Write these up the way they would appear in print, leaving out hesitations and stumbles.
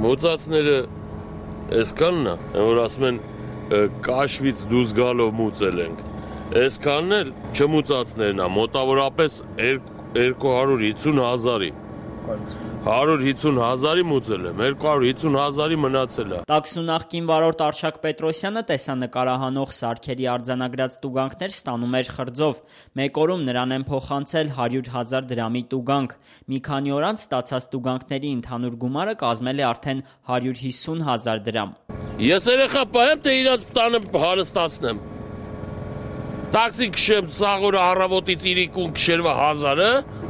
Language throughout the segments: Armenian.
Մոծածները այսքանն է, որ ասում են կաշվից դուրս գալով մուծել ենք։ Այսքանն էլ չմուծածներն է, մոտավորապես 250,000-ի։ 150,000-ի մուծել եմ, 250,000-ի մնացել է։ Տաքսու նախկին վարորդ Արշակ Պետրոսյանը տեսանկարահանող սարքերի արձանագրած տուգանքներ ստանում էր խրձով։ Մեկ օրում նրան են փոխանցել 100,000 դրամի տուգանք։ Մի քանի օր անց ստացած տուգանքների ընդհանուր գումարը կազմել է արդեն 150,000 դրամ։ Ես երեխա պահեմ, թե իրաց տանը հարստացնեմ։ Տաքսի քշեմ սաղորը առավոտից իրիկուն քշերվա 1000-ը,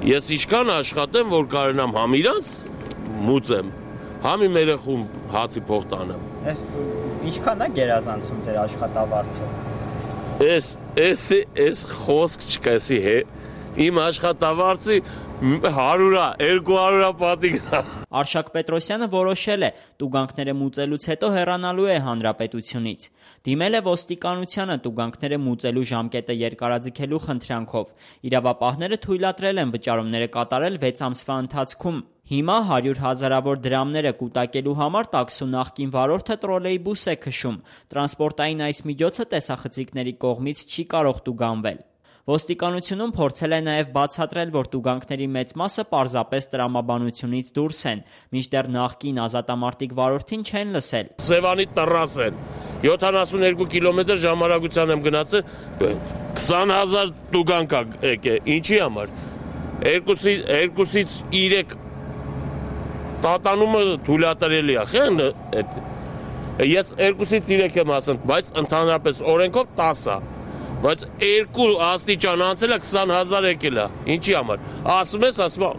ես ինչքան աշխատեմ, որ կարենամ համ իրանց մուծեմ, համ իմ երեխուն հացի փող տանեմ։ Ինչքան է գերազանցում ձեր աշխատավարձը։ Էս խոսք չկա, իմ աշխատավարձի 100-ա, 200-ա պատիգնա։ Արշակ Պետրոսյանը որոշել է տուգանքները մուծելուց հետո հեռանալու է հանրապետությունից։ Դիմել է ոստիկանությանը տուգանքները մուծելու ժամկետը երկարաձգելու խնդրանքով։ Իրավապահները թույլատրել են վճարումները կատարել 6 ամսվա ընթացքում։ Հիմա 100,000-ավոր դրամները կուտակելու համար տաքսու նախկին վարորդը տրոլեյբուս է քշում։ Տրանսպորտային այս միջոցը տեսախցիկների կողմից չի կարող տուգանվել։ Ոստիկանությունում փորձել է նաև բացատրել, որ տուգանքների մեծ մասը պարզապես տրամաբանությունից դուրս են, մինչդեռ նախկին ազատամարտիկ վարորդին չեն լսել։ Սևանի տրաս են, 72 կիլոմետր ժամարագության եմ գնացել, 20,000 տուգանք եկե, ինչի համար, 2-ից 3 տատանումը թույլատրելի է, ես 2-ից 3 եմ ասում, բայց ընդհանրապես օրենքով 10 է։ Բայց 2 աստիճան անցել է 20,000 եկել է, ինչի համար, ասում ես,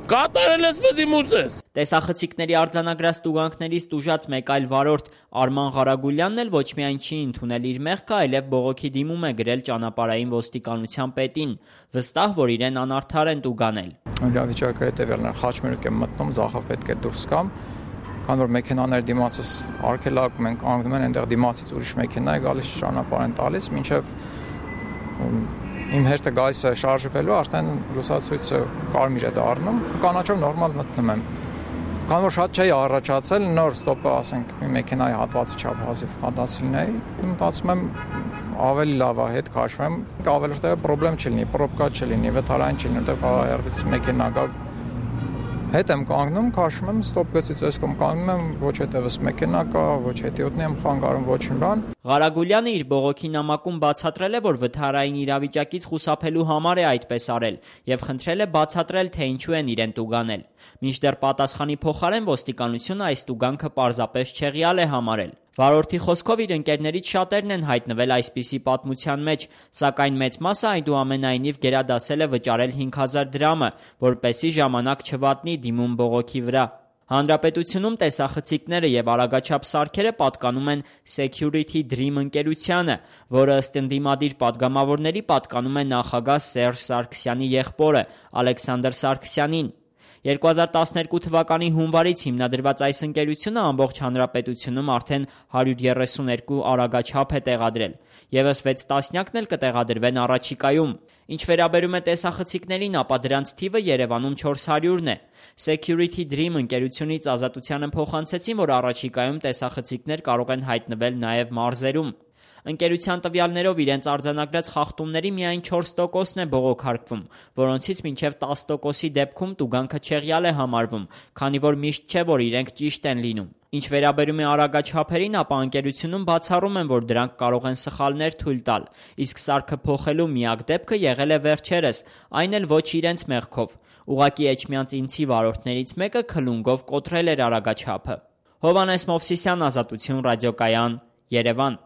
կատարել ես պետք է մուծես։ Տեսախցիկների արձանագրած տուգանքներից տուժած մեկ այլ վարորդ Արման Ղարագուլյանն էլ ոչ միայն չի ընդունել իր մեղքը, այլև բողոքի դիմում է գրել ճանապարհային ոստիկանության պետին, վստահ, որ իրեն անարդար են տուգանել։ Իրավիճակը հետևյալն է, խաչմերուկ եմ մտնում, ձախով պետք է դուրս գամ, քանի որ մեքենաներ դիմացից արգելակում են, կանգնում են, այնտեղ դիմացից ուրիշ մեքենա է գալիս, ճանապարհ են տալիս, մինչև իմ հերթը գալիս է շարժվելու, արդեն լուսացույցը կարմիր է դառնում, կանաչով նորմալ մտնում եմ։ Քանի որ շատ չէի առաջացել, նոր ստոպը, ասենք, մի մեքենայի հատվածի չափ հազիվ հատացիլն էի, մտածում եմ ավելի լավ է հետ քաշվեմ, ավելի որտեղ պրոբլեմ չլինի, պրոբկա չլինի, վթարային չլինի, որտեղ կարող է երևից մեքենա գա։ Հետ եմ կանգնում, քաշում եմ, ստոպ գծից այս կողմ կանգնում եմ, ոչ հետևս մեքենա կա, ոչ հետիոտնի եմ խանգարում, ոչ մի բան։ Ղարագուլյանը իր բողոքի նամակում բացատրել է, որ վթարային իրավիճակից խուսափելու համար է այդպես արել եւ խնդրել է բացատրել, թե ինչու են իրեն տուգանել։ Մինչդեռ պատասխանի փոխարեն ոստիկանությունը այս տուգանքը պարզապես չեղյալ է համարել։ Վարորդի խոսքով իր ընկերներից շատերն են հայտնվել այսպիսի պատմության մեջ, սակայն մեծ մասը այնուամենայնիվ գերադասել է վճարել 5,000 դրամը, որպեսզի ժամանակ չվատնի դիմում բողոքի վրա։ Հանրապետությունում տեսախցիկները եւ արագաչափ սարքերը պատկանում են Security Dream ընկերությանը, որը ըստ ընդդիմադիր պատգամավորների պատկանում է նախագահ Սերժ Սարգսյանի եղբորը Ալեքսանդր Սարգսյանին։ 2012 թվականի հունվարից հիմնադրված այս ընկերությունը ամբողջ հանրապետությունում արդեն 132 արագաչափ է տեղադրել, ևս 6 տասնյակն էլ կտեղադրվեն առաջիկայում։ Ինչ վերաբերում է տեսախցիկներին, ապա դրանց թիվը Երևանում 400-ն է։ Security Dream ընկերությունից Ազատությանը փոխանցեցին, որ առաջիկայում տեսախցիկներ կարող են հայտնվել նաև մարզերում։ Ընկերության տվյալներով իրենց արձանագրած խախտումների միայն 4%-ն է բողոքարկվում, որոնցից մինչև 10%-ի դեպքում տուգանքը չեղյալ է համարվում, քանի որ միշտ չէ, որ իրենք ճիշտ են լինում։ Ինչ վերաբերում է արագաչափերին, ապա ընկերությունում բացառում են, որ դրանք կարող են սխալներ թույլ տալ, իսկ սարքը փոխելու միակ դեպքը եղել է վերջերս, այն էլ ոչ իրենց մեղքով։ Ուղղակի Էջմիածինցի վարորդներից մեկը քլունգով կոտրել էր արագաչափը։ Հովհաննես Մովսիսյան, Ազատություն ռադիոկայան, Երևան։